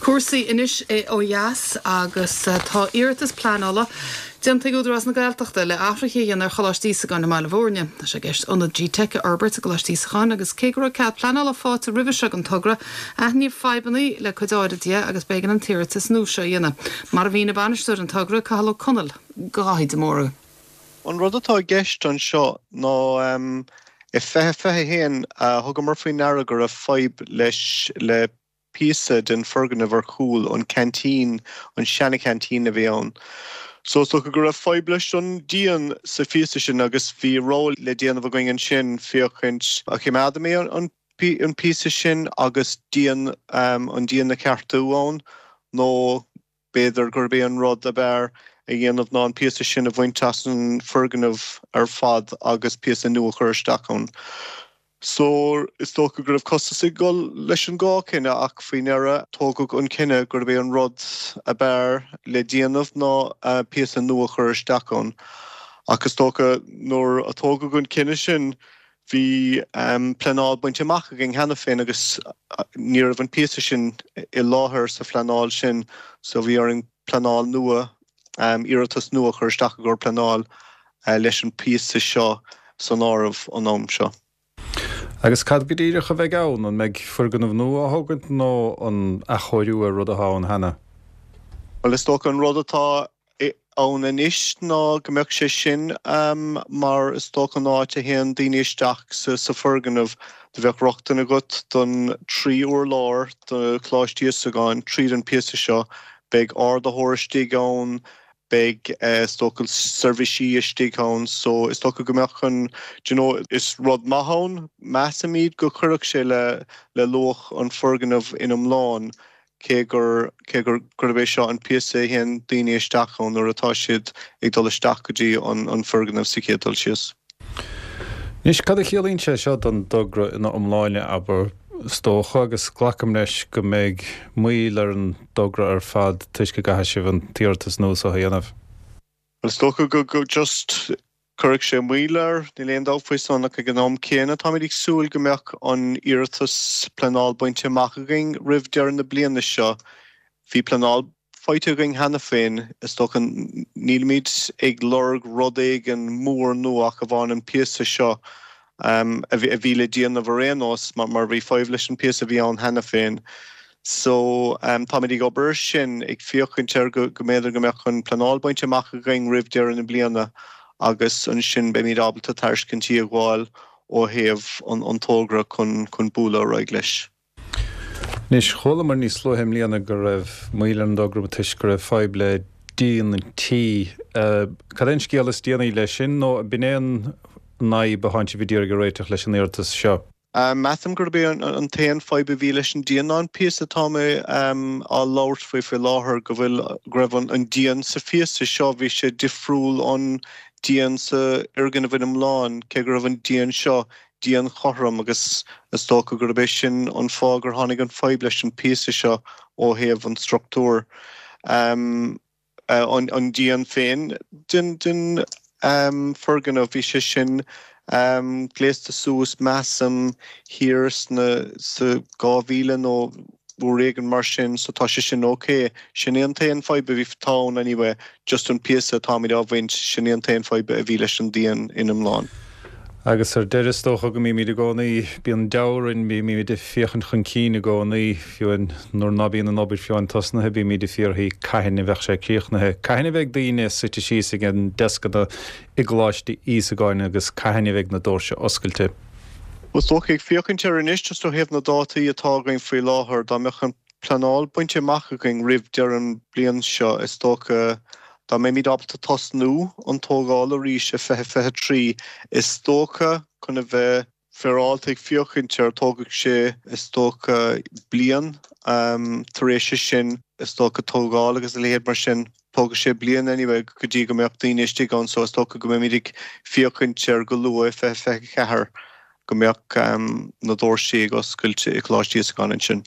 Cúrsaí anois ó dheas agus tá iarratas pleanála déanta ag Údarás na Gaeltachta le athruithe a dhéanamh ar Choláiste Íosagáin i mBaile Bhúirne. Tá sé i gceist ionad G-Teic a fhorbairt i gColáiste Íosagáin agus cé go raibh cead pleanála faighte roimhe seo don togra, aithníodh fadhbanna le cuid áirid de agus b'éigean an t-iarratas nua seo a dhéanamh. Mar a mhínigh bainisteoir an togra, Cathal Ó Conaill, do Dhaithí de Mórdha. An rud atá i gceist anseo ná i 2021 thugamar faoi ndeara go raibh fadhb leis le píosa den foirgneamh ar chúl an ceaintín, an seana-cheaintín a bhí ann. So is dócha go raibh fadhb leis an díon sa phíosa sin agus bhí rogha le déanamh againn ansin féachaint an choimeádfaimid an an píosa sin agus díon an díon a cheartú ann nó B'fhéidir gurb é an rud ab fhearr a dhéanamh ná an píosa sin a bhaint as an foirgneamh ar fad agus píosa nua a chur isteach ann. So, is dócha go raibh costas ag dul leis an dhá chinneadh ach faoin ndeireadh tógadh an cinneadh gurb é an rud ab fhearr le déanamh ná píosa nua a chur isteach ann. Ach is dócha nuair a tógadh an cinneadh sin Bhí pleanáil bainte amach againn cheana féin agus ní raibh an píosa sin i láthair sa phleanáil sin so bhí orainn pleanáil nua, iarratas nua a chur isteach i gcomhair pleanáil leis an píosa seo san áireamh an am seo. Agus cad go díreach a bheidh ann? An mbeidh foirgneamh nua á thógaint nó an athchóiriú ar rud atá ann cheana? Bhuel is dócha an rud atá ann anois ná go mbeadh sé sin mar is dócha an áit a théann daoine isteach sa foirgneamh. Do bheadh rochtain agat don trí urlár de Choláiste Íosagáin tríd an píosa seo. Beidh ardaitheoir istigh ann, beidh is dócha seirbhísí istigh ann so is dócha go mbeadh an, do you know, is rud maith ann. Measaimid go gcuirfeadh sé le le luach an foirgneamh in iomlán. cé gur, cé gur, gurb é seo an píosa a théann daoine isteach ann nuair atá siad ag dul isteach go dtí an, an foirgneamh sa chéad dul síos. Anois, cad a chiallaíonn sé seo don dtogra ina iomláine, abair? Is dócha, agus glacaim leis, go mbeidh moill ar an dtogra ar fad toisc go gcaithfidh sibh an t-iarratas nua seo a dhéanamh. Bhuel, is dócha go, go, just, cuirfidh sé moill air, níl aon dabht faoi san, ach ag an am céanna, táimid ag súil go mbeadh an iarratas pleanáil bainte amach againn roimh deireadh na bliana seo. Bhí pleanáil faighte againn cheana féin, is dócha, nílimid ag lorg rud éigin mór nua ach amháin an píosa seo a bhí le déanamh ar aon nós mar bhí fadhb leis an píosa a bhí ann cheana féin. So, táimid ag obair ar sin, ag féachaint ar go mb'fhéidir go mbeadh an pleanáil bainte amach againn roimh deireadh na bliana agus ansin beimid ábalta tairiscintí a ghabháil ó thaobh an togra chun bualadh ar aghaidh leis. Anois, chualamar níos luaithe i mbliana go raibh moill ar an dtogra toisc go raibh fadhb le díon an tí. Cad é an scéal is déanaí leis sin nó b'in é an fhadhb atánn sibh ag iarraidh a réiteach leis an iarratas seo? Measaim gurb é an t-aon fadhb a bhí leis an díon ná an píosa atá mé á labhairt faoi faoi láthair, go bhfuil, go raibh an díon sa phíosa seo, bhí sé difriúil ón díon sa fhoirgneamh in iomlán, cé go raibh an díon seo díon chothrom agus is dócha gurb é sin an fáth gur tháinig an fadhb leis an píosa seo ó thaobh an struchtúir. An díon féin den foirgneamh, bhí sé sin gléasta suas, measaim, thiar sna, sa 2000 nó uair éigin mar sin, so tá sé sin ok. Sin é an t-aon fadhb a bhí, atá ann anyway, just an píosa atáimid á bhaint, sin é an t-aon fadhb a bhí leis an díon in iomlán. Agus ar deireadh, is dócha go mbímid i gcónaí, bíonn deabhadh orainn, bímid ag féachaint chun cinn i gcónaí, fiú nuair ná bíonn an obair fiú amháin tosnaithe, bímid ag fiafraí cathain a bheadh sé críochnaithe, cathain a bheidh daoine suite síos ag a ndeascanna i gColáiste Íosagáin agus cathain a bheidh na doirse oscailte. Is dócha, ag féachaint air anois, just ó thaobh na dátaí atá againn faoi láthair, dá mbeadh an pleanáil bainte amach againn roimh deireadh an bliain seo, is dócha, dá mbeimid ábalta tosnú an tógáil arís i 2023, is dócha, chun a bheith féaráilte ag féachaint air, tógfaidh sé, is dócha, bliain tar éis sin, is dócha, tógáil agus a leithéid mar sin. Tógfaidh sé bliain anyway go dtí go mbeadh daoine istigh ann so is dócha go mbeimid ag féachaint ar go luath i 2024 go mbeadh na doirsí ag oscailt i Coláiste Íosagáin ansin.